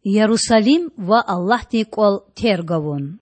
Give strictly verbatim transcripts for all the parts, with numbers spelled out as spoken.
Ярусалим ва Аллагьдин кІвал терг авун.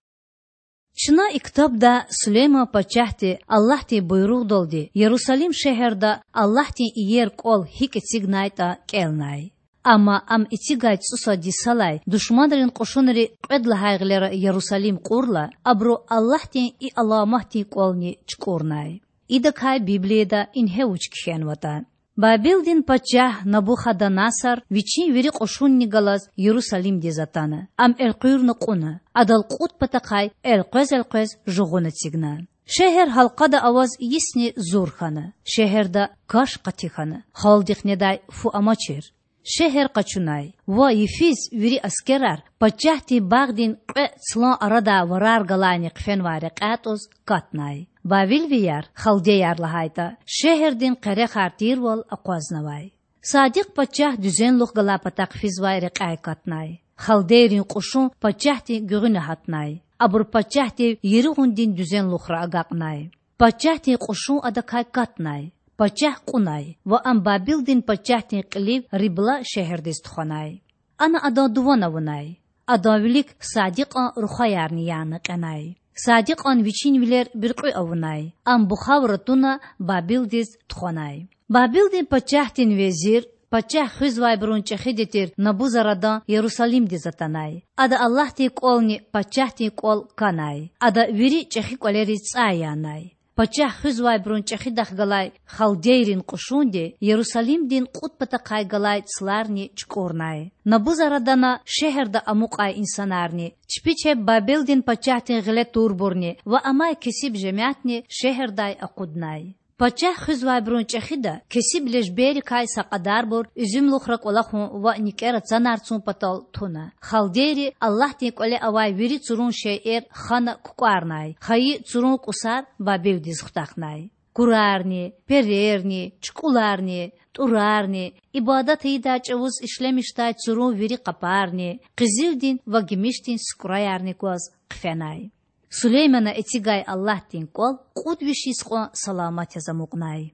Чна и ктабда Сулейман пачагьди Аллагьдин буйругъдалди Ярусалим шегьерда Аллагьдин иер кІвал гьикІ эцигнайтІа кІелнай. Амма ам эцигай цІусад йисалай душманрин кьушунри кьвед лагьай гъилера Ярусалим кьурла, абуру Аллагьдин и аламатдин кІвални чукІурнай. Идакай Библияда ингье вуч кхьенватІа: Бабилдин пачагь Набухаданасар вичин вири кьушунни галаз Ярусалимдиз атана. Ам элкъуьрна кьуна, адал кьуд патахъай элкъвез-элкъвез жугъун эцигна. Шегьер гьалкъада аваз йисни зур хьана, шегьерда каш къати хьана, халкьдихъ недай фу амачир. Шегьер къачунай ва йифиз вири аскерар пачагьдин багъдин кьве цлан арадай варар галайни хъфенвай рекьяй тІуз катнай. Бабилвияр, халдеяр лагьайтІа, шегьердин къерехар тирвал акъвазнавай. Садикь пачагь дуьзенлух галай патахъ физвай рекьяй катнай. Халдейрин кьушун пачагьдин гуьгъуьна гьатнай. Абур пачагьдив Еригьундин дуьзенлухра агакьнай. Пачагьдин кьушун адакай катнай. Пачагь кьунай ва ам Бабилдин пачагьдин кьилив Рибла шегьердиз тухванай. Ана адан дуван авунай. Адан вилик Садикьан рухваярни яна кьенай. Садикьан вичин вилер буьркьуь авунай. Ам бухавра туна Бабилдиз тухванай. Бабилдин пачагьдин везир, пачагь хуьзвайбурун чІехиди тир Набузарадан Ярусалимдиз атанай. Ада Аллагьдин кІвални пачагьдин кІвал канай. Ада вири чІехи кІвалериз цІай янай. Пачагь хуьзвайбурун чІехидахъ галай халдейрин кьушунди Ярусалимдин кьуд патахъай галай цларни чукІурнай. Набузарадана шегьерда амукьай инсанарни, чпи чеб Бабилдин пачагьдин гъиле турбурни ва амай кесиб жемятни шегьердай акъуднай. Пачагь хуьзвайбурун чІехида кесиб лежберрикай са кьадарбур уьзуьмлухра кІвалахун ва никІера цанар цун патал туна. Халдейри Аллагьдин кІвале авай вири цурун шейэр хана кукІварнай, хайи цурун кІусар Бабилдиз хутахнай. Курарни, перерни, чукІуларни, тІурарни, ибадат ийидай чІавуз ишлемишдай цурун вири къапарни, къизилдин ва гимишдин сукІраярни гваз хъфенай. Сулеймана эцигай Аллагьдин кІвал кьуд виш йис кьван саламат яз амукьнай.